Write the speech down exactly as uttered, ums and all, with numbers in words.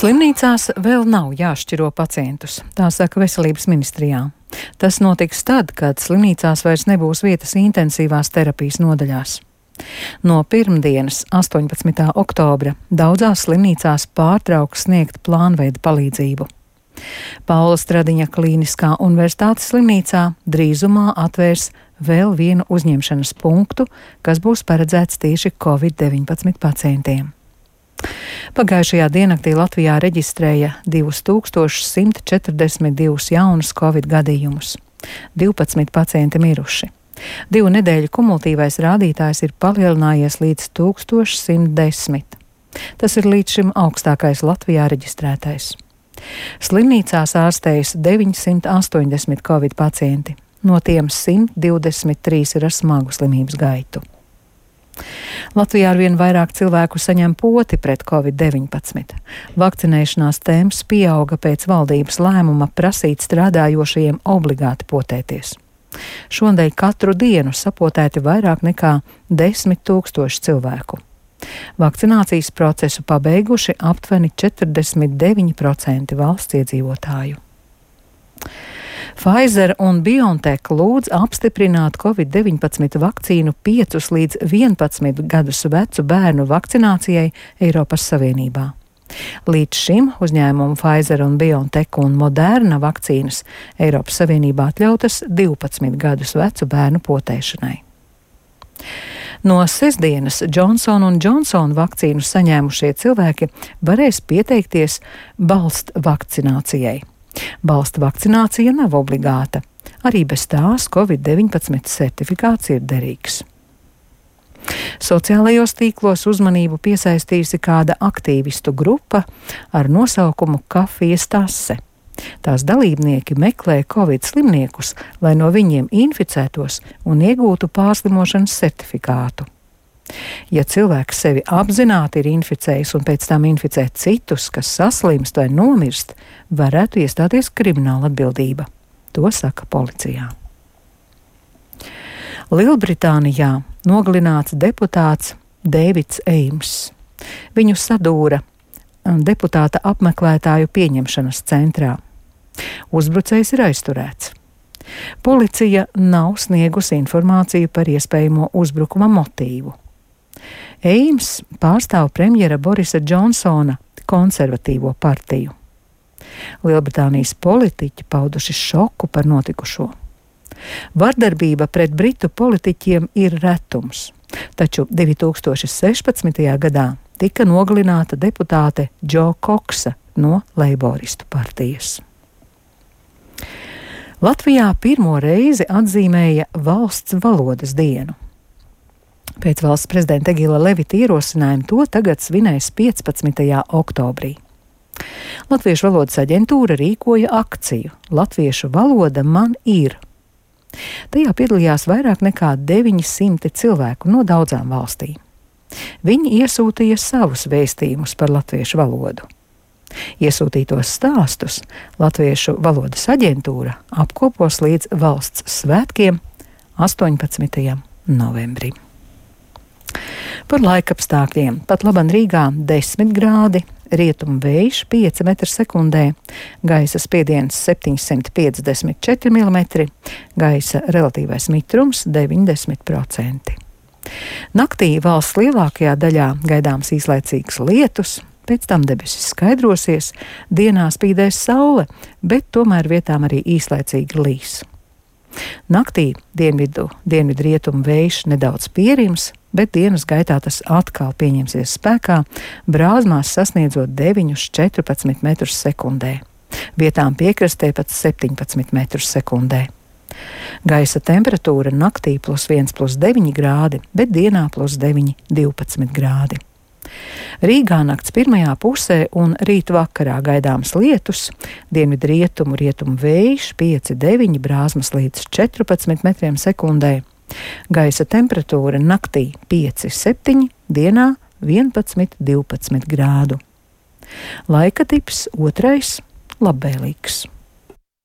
Slimnīcās vēl nav jāšķiro pacientus, tā saka Veselības ministrijā. Tas notiks tad, kad slimnīcās vairs nebūs vietas intensīvās terapijas nodaļās. No pirmdienas, astoņpadsmitā oktobra, daudzās slimnīcās pārtrauks sniegt plānveida palīdzību. Paula Stradiņa Klīniskā universitātes slimnīcā drīzumā atvērs vēl vienu uzņemšanas punktu, kas būs paredzēts tieši covid deviņpadsmit pacientiem. Pagājušajā diennaktī Latvijā reģistrēja divus tūkstošus simt četrdesmit divus jaunus covid gadījumus. divpadsmit pacienti miruši. Divu nedēļu kumulatīvais rādītājs ir palielinājies līdz tūkstoš simt desmit. Tas ir līdz šim augstākais Latvijā reģistrētais. Slimnīcās ārstējas deviņsimt astoņdesmit covid pacienti, no tiem simt divdesmit trīs ir ar smagu slimības gaitu. Latvijā arvien vairāk cilvēku saņem poti pret covid deviņpadsmit. Vakcinēšanās temps pieauga pēc valdības lēmuma prasīt strādājošajiem obligāti potēties. Šonadēļ katru dienu sapotēti vairāk nekā desmit tūkstoši cilvēku. Vakcinācijas procesu pabeiguši aptuveni četrdesmit deviņi procenti valsts iedzīvotāju. Pfizer un BioNTech lūdz apstiprināt covid deviņpadsmit vakcīnu piecus līdz vienpadsmit gadus vecu bērnu vakcinācijai Eiropas Savienībā. Līdz šim uzņēmumu Pfizer un BioNTech un Moderna vakcīnas Eiropas Savienībā atļautas divpadsmit gadus vecu bērnu potēšanai. No sestdienas Johnson un Johnson vakcīnu saņēmušie cilvēki varēs pieteikties balsta vakcinācijai. Balsta vakcinācija nav obligāta, arī bez tās covid deviņpadsmit certifikāts ir derīgs. Sociālajos tīklos uzmanību piesaistījusi kāda aktīvistu grupa ar nosaukumu Kafijas tase. Tās dalībnieki meklē covid slimniekus, lai no viņiem inficētos un iegūtu pārslimošanas certifikātu. Ja cilvēks sevi apzināti ir inficējis un pēc tam inficē citus, kas saslimst vai nomirst, varētu iestāties krimināla atbildība. To saka policijā. Lielbritānijā nogalināts deputāts Deivids Eims. Viņu sadūra deputāta apmeklētāju pieņemšanas centrā. Uzbrucējs ir aizturēts. Policija nav sniegusi informāciju par iespējamo uzbrukuma motīvu. Eims pārstāv premjera Borisa Džonsona konservatīvo partiju. Lielbritānijas politiķi pauduši šoku par notikušo. Vardarbība pret britu politiķiem ir retums, taču divi tūkstoši sešpadsmitajā gadā tika nogalināta deputāte Jo Koksa no Leiboristu partijas. Latvijā pirmo reizi atzīmēja valsts valodas dienu. Pēc valsts prezidenta Egila Levita ierosinājuma to tagad svinēs piecpadsmitajā oktobrī. Latviešu valodas aģentūra rīkoja akciju Latviešu valoda man ir. Tajā piedalījās vairāk nekā deviņi simti cilvēku no daudzām valstīm. Viņi iesūtīja savus vēstījumus par latviešu valodu. Iesūtītos stāstus Latviešu valodas aģentūra apkopos līdz valsts svētkiem astoņpadsmitajam novembrim. Par laikapstākļiem. Pat laban Rīgā desmit grādi, rietumu vējš pieci metri sekundē, gaisa spiediens septiņsimt piecdesmit četri milimetri, gaisa relatīvais mitrums deviņdesmit procenti. Naktī valsts lielākajā daļā gaidāms īslaicīgs lietus, pēc tam debesis skaidrosies, dienā spīdēs saule, bet tomēr vietām arī īslaicīgi līs. Naktī dienvidu, dienvidu rietumu vējš nedaudz pierims, bet dienas gaitā tas atkal pieņemsies spēkā, brāzmās sasniedzot deviņus līdz četrpadsmit metrus sekundē. Vietām piekrastē pat septiņpadsmit metrus sekundē. Gaisa temperatūra naktī plus viens plus deviņi grādi, bet dienā plus deviņi divpadsmit grādi. Rīgā nakts pirmajā pusē un rīt vakarā gaidāms lietus, dienvidu rietumu rietumu vējš pieci deviņi, brāzmas līdz četrpadsmit metriem sekundē. Gaisa temperatūra naktī pieci septiņi, dienā vienpadsmit divpadsmit grādu. Laika tips otrais labvēlīgs.